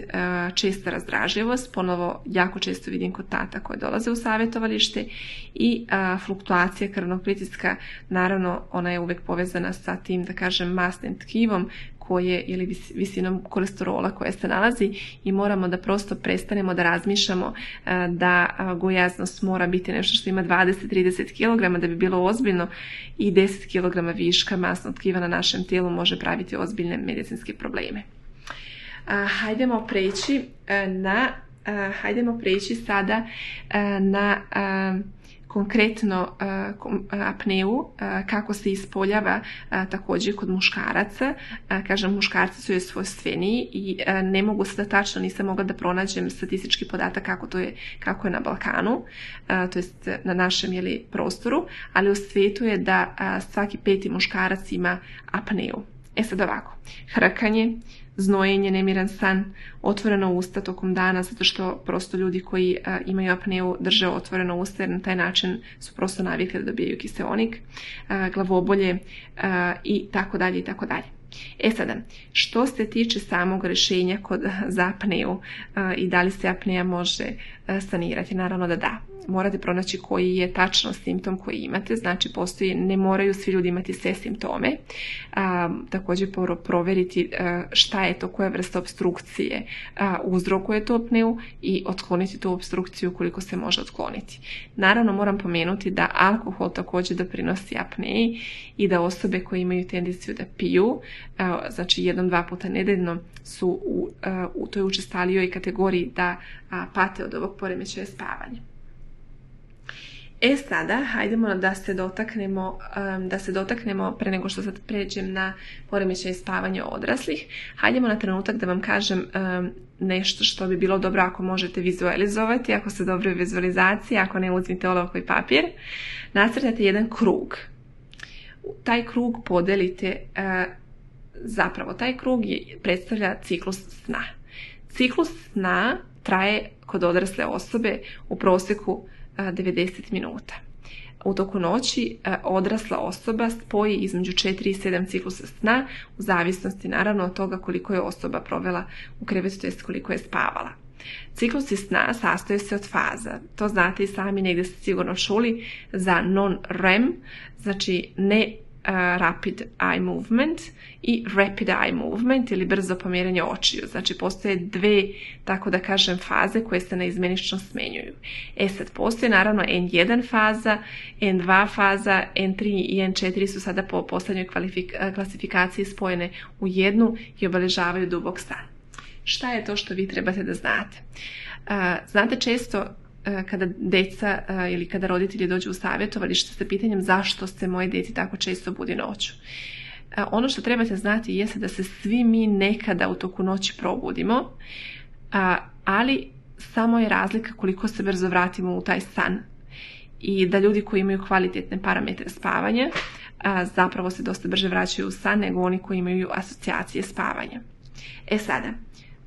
česta razdražljivost, ponovo jako često vidim kod tata koje dolaze u savjetovalište i fluktuacija krvnog pritiska, naravno ona je uvijek povezana sa tim, da kažem, masnim tkivom koje, ili visinom kolesterola koja se nalazi i moramo da prosto prestanemo da razmišljamo da gojaznost mora biti nešto što ima dvadeset do trideset kilograma da bi bilo ozbiljno i deset kilograma viška masnog tkiva na našem tijelu može praviti ozbiljne medicinske probleme. Hajdemo preći na, hajdemo preći sada na konkretno apneu, kako se ispoljava također kod muškaraca. Kažem, muškarci su joj svojstveniji i ne mogu sada tačno, nisam mogla da pronađem statistički podatak kako to je, kako je na Balkanu, to jest na našem jeli, prostoru, ali u svijetu je da svaki peti muškarac ima apneu. E sad ovako, hrkanje, znojenje, nemiran san, otvoreno usta tokom dana, zato što prosto ljudi koji a, imaju apneu drže otvoreno usta jer na taj način su prosto navikli da dobijaju kiseonik, a, glavobolje a, i tako dalje i tako dalje. E sada, što se tiče samog rješenja kod za apneu a, i da li se apnea može a, sanirati, naravno da da. Morate pronaći koji je tačno simptom koji imate, znači postoji, ne moraju svi ljudi imati sve simptome. A, također provjeriti a, šta je to, koja vrsta obstrukcije a, uzrokuje to apneu i otkloniti tu obstrukciju koliko se može otkloniti. Naravno moram pomenuti da alkohol također doprinosi apneji i da osobe koje imaju tendenciju da piju, a, znači jednom, dva puta nedeljno su u, a, u toj učestalijoj kategoriji da a, pate od ovog poremećaja spavanja. E sada, hajdemo da se dotaknemo, da se dotaknemo pre nego što sad pređem na poremećaj spavanja odraslih. Hajdemo na trenutak da vam kažem nešto što bi bilo dobro ako možete vizualizovati, ako ste dobri u vizualizaciji, ako ne uzmite olovku i papir. Nacrtate jedan krug. Taj krug podelite, zapravo taj krug je, predstavlja ciklus sna. Ciklus sna traje kod odrasle osobe u prosjeku devedeset minuta. U toku noći odrasla osoba spoji između četiri i sedam ciklusa sna u zavisnosti naravno od toga koliko je osoba provela u krevetu, to jest koliko je spavala. Ciklusi sna sastoje se od faza. To znate i sami, negdje ste sigurno čuli za non-R E M, znači ne Uh, rapid eye movement i rapid eye movement ili brzo pomjeranje očiju. Znači postoje dve, tako da kažem, faze koje se neizmjenično smenjuju. E sad, postoje naravno en jedan faza, en dva faza, en tri i en četiri su sada po posljednjoj klasifikaciji spojene u jednu i obeležavaju dubok san. Šta je to što vi trebate da znate? Uh, znate često kada deca ili kada roditelji dođu u savjetovalište sa pitanjem zašto se moje dete tako često budi noću. Ono što trebate znati jeste da se svi mi nekada u toku noći probudimo, ali samo je razlika koliko se brzo vratimo u taj san. I da ljudi koji imaju kvalitetne parametre spavanja zapravo se dosta brže vraćaju u san nego oni koji imaju asocijacije spavanja. E sada,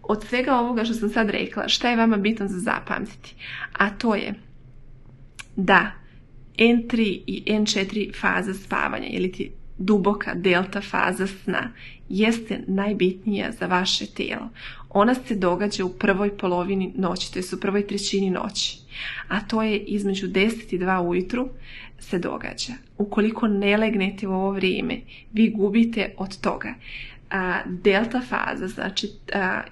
od svega ovoga što sam sad rekla, šta je vama bitno za zapamtiti? A to je da en tri i en četiri faza spavanja, ili ti duboka delta faza sna, jeste najbitnija za vaše tijelo. Ona se događa u prvoj polovini noći, to je u prvoj trećini noći. A to je između deset i dva ujutru se događa. Ukoliko ne legnete u ovo vrijeme, vi gubite od toga. Delta faza, znači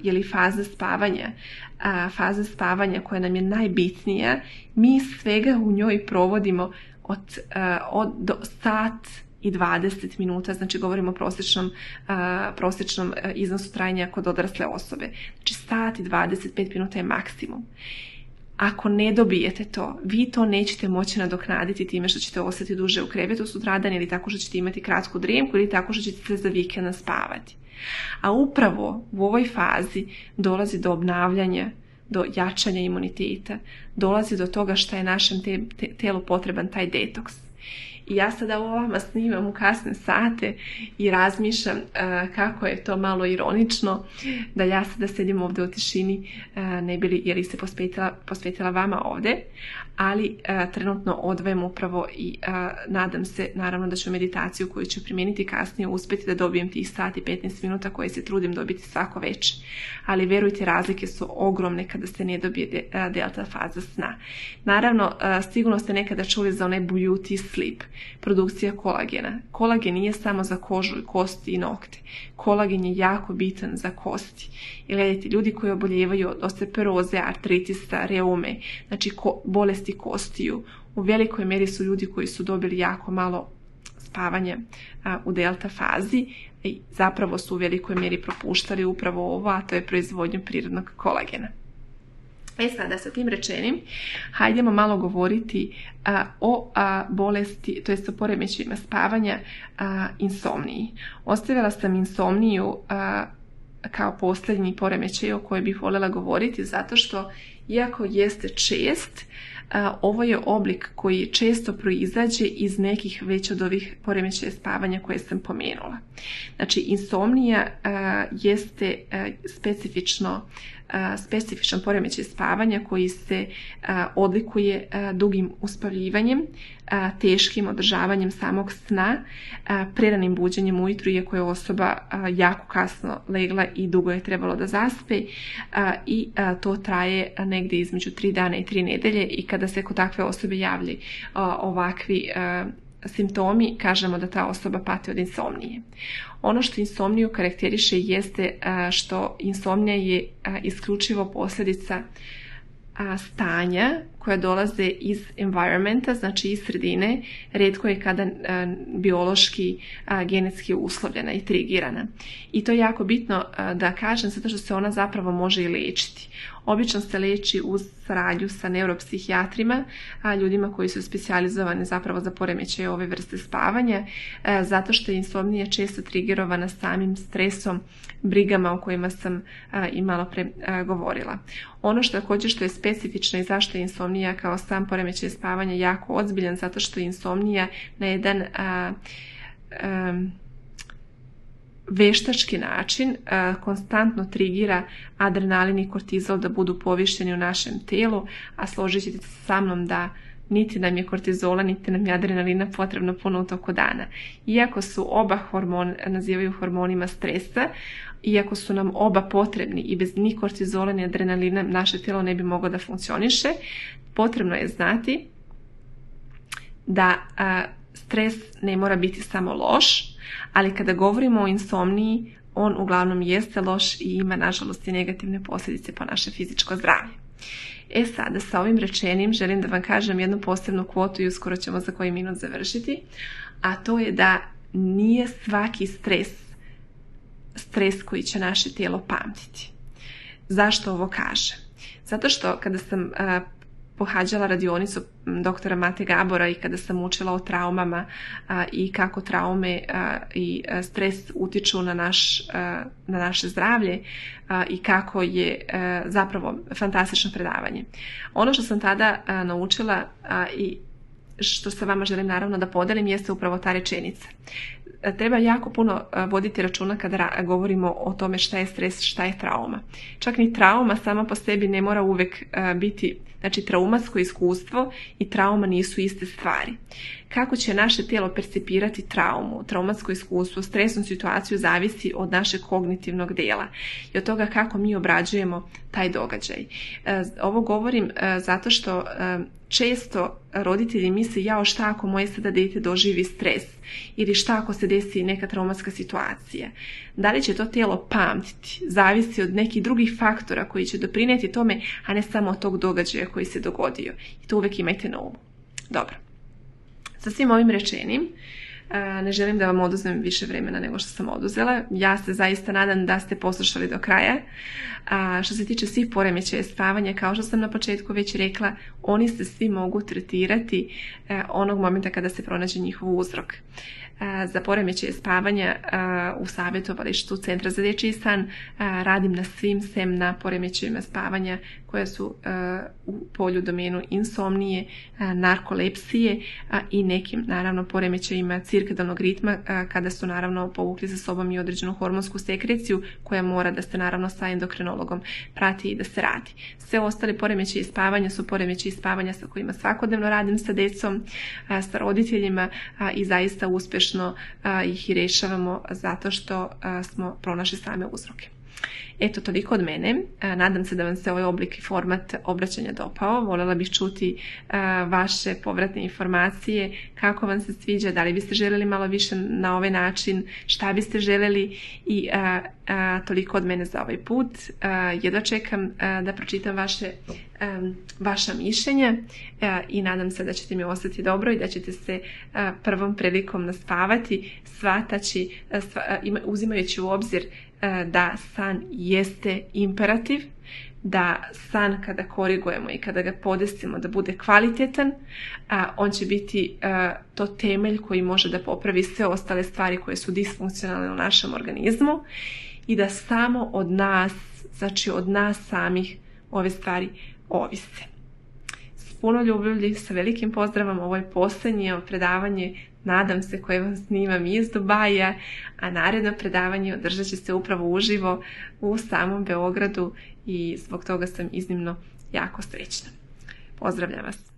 je li faza spavanja, faza spavanja koja nam je najbitnija, mi svega u njoj provodimo od, od do sat i dvadeset minuta, znači govorimo o prosječnom, prosječnom iznosu trajanja kod odrasle osobe. Znači sat i dvadeset pet minuta je maksimum. Ako ne dobijete to, vi to nećete moći nadoknaditi time što ćete ostati duže u krevetu sutradan ili tako što ćete imati kratku drijemku ili tako što ćete se za vikend naspavati. A upravo u ovoj fazi dolazi do obnavljanja, do jačanja imuniteta, dolazi do toga što je našem te, te, telu potreban taj detoks. I ja sada ovo vama snimam u kasne sate i razmišljam uh, kako je to malo ironično da ja sada sedim ovdje u tišini uh, ne bi li, jer li se posvetila, posvetila vama ovdje, ali uh, trenutno odvajem upravo i uh, nadam se naravno da ću meditaciju koju ću primijeniti kasnije uspjeti da dobijem tih sat i petnaest minuta koje se trudim dobiti svako večer. Ali verujte, razlike su ogromne kada se ne dobije de, uh, delta faza sna. Naravno, uh, sigurno ste nekada čuli za onaj beauty sleep. produkcija kolagena. Kolagen nije samo za kožu, kosti i nokte. Kolagen je jako bitan za kosti. I gledajte, ljudi koji oboljevaju od osteoporoze, artritisa, reume, znači ko, bolesti kostiju, u velikoj meri su ljudi koji su dobili jako malo spavanja a, u delta fazi i zapravo su u velikoj meri propuštali upravo ovo, a to je proizvodnju prirodnog kolagena. E sada, sa tim rečenim, hajdemo malo govoriti a, o a, bolesti, to jest o poremećajima spavanja, a, insomniji. Ostavila sam insomniju a, kao posljednji poremećaj o kojoj bih voljela govoriti, zato što, iako jeste čest, a, ovo je oblik koji često proizađe iz nekih već od ovih poremećaja spavanja koje sam pomenula. Znači, insomnija a, jeste a, specifično specifičan poremećaj spavanja koji se a, odlikuje a, dugim uspavljivanjem, a, teškim održavanjem samog sna, a, preranim buđenjem ujutru iako je osoba a, jako kasno legla i dugo je trebalo da zaspe, a, i a, to traje negdje između tri dana i tri nedelje i kada se kod takve osobe javlji a, ovakvi a, simptomi, kažemo da ta osoba pati od insomnije. Ono što insomniju karakteriše jeste što insomnija je isključivo posljedica stanja koja dolaze iz environmenta, znači iz sredine, rijetko je kada biološki, genetski uslovljena i trigirana. I to je jako bitno da kažem, zato što se ona zapravo može i liječiti. Obično se leči uz saradnju sa neuropsihijatrima, a ljudima koji su specijalizovani zapravo za poremećaje ove vrste spavanja, zato što je insomnija često trigerovana samim stresom, brigama o kojima sam i malo pre govorila. Ono što također što je specifično i zašto je insomnija kao sam poremećaj spavanja jako ozbiljan, zato što je insomnija na jedan a, a, veštački način a, konstantno trigira adrenalin i kortizol da budu povišeni u našem telu, a složit ćete se sa mnom da niti nam je kortizola, niti nam je adrenalina potrebno puno u toku dana. Iako su oba hormon, nazivaju hormonima stresa, iako su nam oba potrebni i bez ni kortizola ni adrenalina naše tijelo ne bi moglo da funkcioniše, potrebno je znati da a, stres ne mora biti samo loš, ali kada govorimo o insomniji, on uglavnom jeste loš i ima nažalost i negativne posljedice po naše fizičko zdravlje. E sada, sa ovim rečenim želim da vam kažem jednu posebnu kvotu i uskoro ćemo za koji minut završiti, a to je da nije svaki stres stres koji će naše tijelo pamtiti. Zašto ovo kažem? Zato što kada sam a, pohađala radionicu doktora Mate Gabora i kada sam učila o traumama a, i kako traume a, i a, stres utiču na, naš, a, na naše zdravlje a, i kako je a, zapravo fantastično predavanje. Ono što sam tada a, naučila a, i što se vama želim naravno da podelim jeste upravo ta rečenica. Treba jako puno voditi računa kada govorimo o tome šta je stres, šta je trauma. Čak ni trauma sama po sebi ne mora uvijek biti, znači traumatsko iskustvo i trauma nisu iste stvari. Kako će naše tijelo percipirati traumu, traumatsko iskustvo, stresnu situaciju zavisi od našeg kognitivnog dela i od toga kako mi obrađujemo taj događaj. Ovo govorim zato što često roditelji misle, jao šta ako moje sada dijete doživi stres ili šta ako se desi neka traumatska situacija. Da li će to tijelo pamtiti, zavisi od nekih drugih faktora koji će doprinijeti tome, a ne samo od tog događaja koji se dogodio. I to uvijek imajte na umu. Dobro. Sa svim ovim rečenim, ne želim da vam oduzmem više vremena nego što sam oduzela. Ja se zaista nadam da ste poslušali do kraja. A što se tiče svih poremećaja spavanja, kao što sam na početku već rekla, oni se svi mogu tretirati onog momenta kada se pronađe njihov uzrok. Za poremećaje spavanja u savjetovalištu Centra za dječji san radim na svim sem na poremećajima spavanja koje su u polju domenu insomnije, narkolepsije i nekim naravno poremećajima cirkadalnog ritma kada su naravno povukli za sobom i određenu hormonsku sekreciju koja mora da se naravno sa endokrinologom prati i da se radi. Sve ostale poremećaje spavanja su poremećaji spavanja sa kojima svakodnevno radim sa djecom, sa roditeljima i zaista uspješno ih i rješavamo zato što smo pronašli same uzroke. Eto, toliko od mene. Nadam se da vam se ovaj oblik i format obraćanja dopao. Voljela bih čuti vaše povratne informacije, kako vam se sviđa, da li biste željeli malo više na ovaj način, šta biste željeli i a, a, toliko od mene za ovaj put. A, jedva čekam a, da pročitam vaše, a, vaša mišljenja a, i nadam se da ćete mi ostati dobro i da ćete se a, prvom prilikom naspavati, shvataći, a, sva, a, ima, uzimajući u obzir da san jeste imperativ, da san kada korigujemo i kada ga podesimo da bude kvalitetan, on će biti to temelj koji može da popravi sve ostale stvari koje su disfunkcionalne u našem organizmu i da samo od nas, znači od nas samih ove stvari ovise. S puno ljubavlji, sa velikim pozdravom, ovo je posljednje predavanje, nadam se, koje vam snimam iz Dubaja, a naredno predavanje održat će se upravo uživo u samom Beogradu i zbog toga sam iznimno jako srećna. Pozdravljam vas!